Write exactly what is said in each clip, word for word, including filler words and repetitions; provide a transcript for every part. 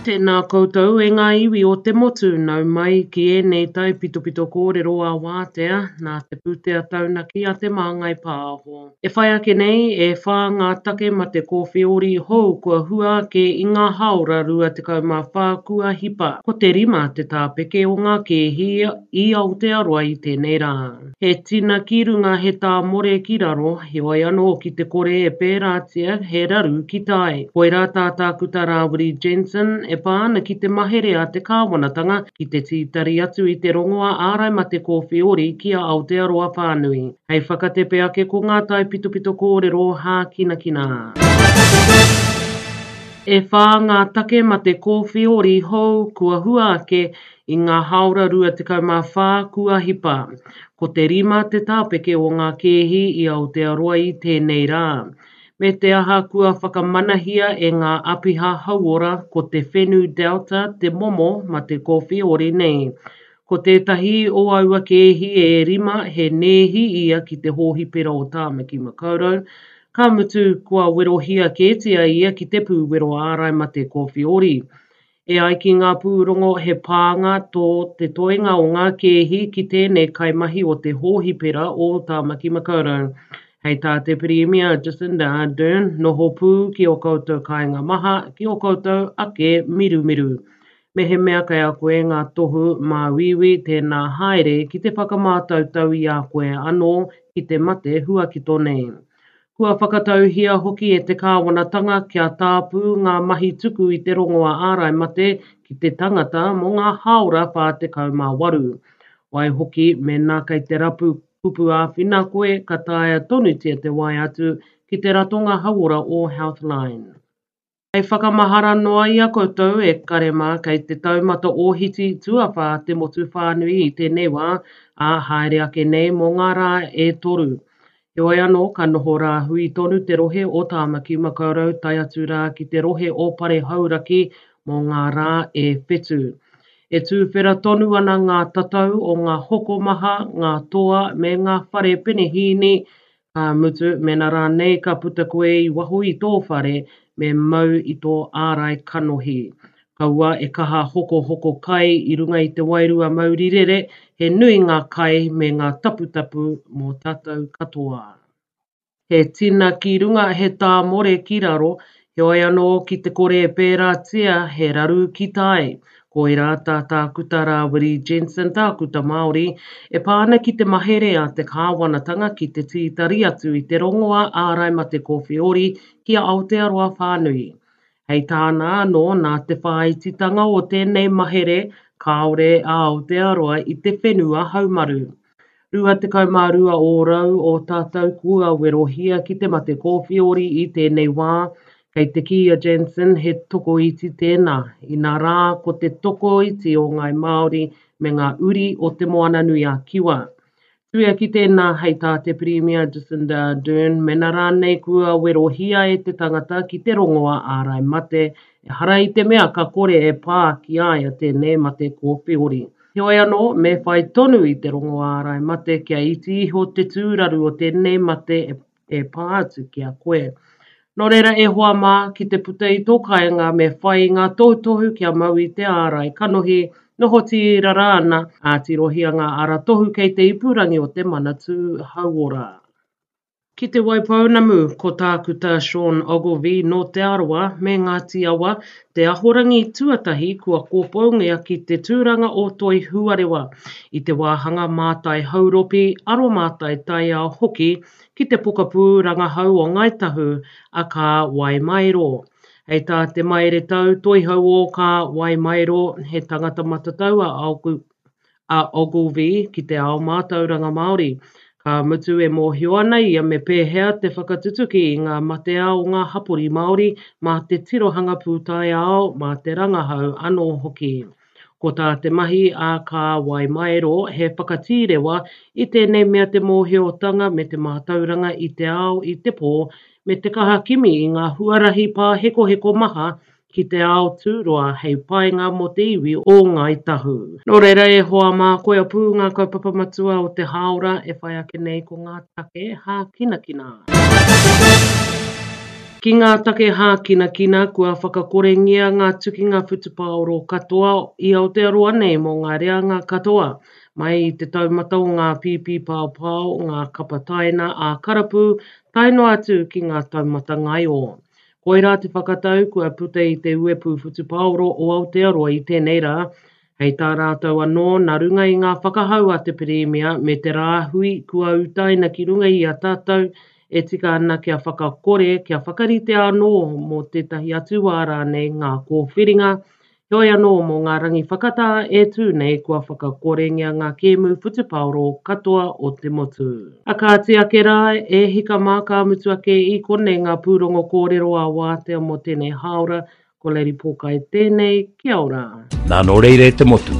Tēnā koutou e ngā iwi o te motu, nau mai ki ēnei taipitopito kōrero a wātea nā te pūtea taunaki a Te Māngai Pāho. E whai ake nei, e whā ngā take mate kōwheori hou kua hua ake i ngā hāora rua tekau mā whā kua hipa. Ko te rima te tāpeke o ngā kēhi i Aotearoa i tēnei rā. He tina ki runga, he tāmore ki raro, heoi anō ki te kore e pērātia, he raru ki tai. Koirā tā Tākuta Rāwiri Jensen e pā ana ki te mahere a te kāwanatanga ki te tītari atu i te rongoā ārai mate kōwheori ki a Aotearoa whānui. Hei whakatepe ake ko ngā taipitopito kōrero hākinakina. E whā ngā take mate kōwheori hou kua hua ake i ngā hāora rua tekau mā whā kua hipa. Ko te rima te tāpeke o ngā kēhi i Aotearoa i tēnei rā. Me te aha kua whakamanahia e ngā apiha hauora ko te whenu Delta te momo mate kōwheori nei. Ko tētahi o aua kēhi e rima he nēhi ia ki te hōhipera o Tāmaki Makaurau, ka mutu kua werohia kētia ia ki te pūwero ārai mate kōwheori. E ai ki ngā pūrongo he pānga tō te toenga o ngā kēhi ki tēnei kaimahi o te hōhipera o Tāmaki Makaurau. Hei tā te Pirimia Jacinda Ardern, noho pū ki o koutou kāinga maha, ki o koutou ake mirumiru. Mehemea kei a koe ngā tohu māuiui, tēnā haere ki te whakamātautau i a koe anō ki te mate huakito nei. Kua whakatauhia hoki e te kāwanatanga kia tāpū ngā mahi tuku i te rongoā ārai mate ki te tangata mō ngā hāora whā tekau mā waru. Waihoki, mēnā kei te rapu kupu āwhina koe, ka taea tonutia te waea atu ki te ratonga hauora o Healthline. Hei whakamahara noa i a koutou e kare mā kei te taumata ōhiti tuawhā te motu whānui i tēnei wā, ā, haere ake nei mō ngā rā e toru. Heoi anō, ka noho rāhui tonu te rohe o Tāmaki Makaurau tae atu rā ki te rohe o Pare Hauraki mō ngā rā e whetū. E tūwhera tonu ana ngā tatau o ngā hokomaha, ngā toa me ngā whare penehīni, ka mutu mēnā rānei ka puta koe i waho i tō whare me mau i tō ārai kanohi. Kaua e kaha hokohoko kai i runga i te wairua maurirere, he nui ngā kai me ngā taputapu mō tātou katoa. He tina ki runga, he tāmore ki raro, heoi anō ki te kore e pērātia, he raru ki tai. Koirā tā Tākuta Rāwiri Jensen, Tākuta Māori, e pā ana ki te mahere a te kāwanatanga ki te tītari atu i te rongoā ārai mate kōwheori ki a Aotearoa whānui. Hei tāna anō, nā te whāititanga o tēnei mahere, kāore a Aotearoa i te whenua haumaru. Rua tekau mā rua ōrau o tātou kua werohia ki te mate kōwheori i tēnei wā, kei te kī a Jensen he tokoiti tēnā, inā rā ko te tokoiti o Ngāi Māori me ngā uri o Te Moananui-a-Kiwa. Tuia ki tēnā, hei tā te Pirimia Jacinda Ardern, mēnā rānei kua werohia e te tangata ki te rongoā ārai mate, ehara i te mea ka kore e pā ki a ia tēnei mate kōwheori. Heoi anō, me whai tonu i te rongoā ārai mate kia iti iho te tūraru o tēnei mate e pā atu ki a koe. Nō reira e hoa mā, ki te puta i tō kāinga me whai i ngā tohutohu kia mau i te ārai kanohi, noho tīrara ana, ā, tirohia ngā aratohu kei te ipurangi o te Manatū Hauora. Ki Te Waipounamu, ko Tākuta Sean Ogilvie nō Te Arawa me Ngāti Awa, te ahorangi tuatahi kua kōpoungia ki te tūranga o Toi Huarewa i te wāhanga mātai hauropi, aromātai taiao hoki ki te pokapū rangahau o Ngāi Tahu a Kā Waimaero. Hei tā te maere tau toihau o Kā Waimaero, he tangata matatau a a Ogilvie ki te ao mātauranga Māori. Ka mutu e mōhio ana ia me pēhea te whakatutuki i ngā matea o ngā hapori Māori mā te tirohanga pūtaiao, mā te rangahau anō hoki. Ko tā te mahi a Kā Waimaero he whakatīrewa i tēnei mea te mōhiotanga me te mātauranga i te ao i te pō me te kaha kimi i ngā huarahi pāhekoheko maha ki te ao tūroa hei painga mō te iwi o Ngāi Tahu. Nō reira e hoa mā, koia pū ngā kaupapa matua o te hāora e whai ake nei ko ngā take hākinakina. Ki ngā take hākinakina, kua whakakorengia ngā tukinga whutupaoro katoa i Aotearoa nei mō ngā reanga katoa, mai i te taumata o ngā pīpī paopao, ngā kapa taina ā-karapu, tae noa atu ki ngā taumata ngaio. Koirā te whakatau kua puta i te Uepū Whutupaoro o Aotearoa i tēnei rā, hei tā rātou anō nā runga i ngā whakahau a te Pirimia me te rāhui kua utaina ki runga i a tātou e tika ana kia whakakore, kia whakaritea anō mō tētahi atu wā rānei ngā kōwhiringa, heoi anō mō ngā rangi whakatā e tū nei kua whakakorengia ngā kēmu whutupaoro katoa o te motu. A kāti ake rā, e hika mā ka mutu ake i konei ngā pūrongo kōrero a wātea mō tēnei hāora, ko Lady Pōkai tēnei, kia ora. Nā nō reira e te motu,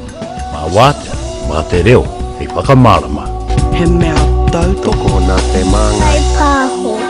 mā wātea, mā te reo, hei whakamārama. He mea tautoko Tokona te māngai. Whai pāho.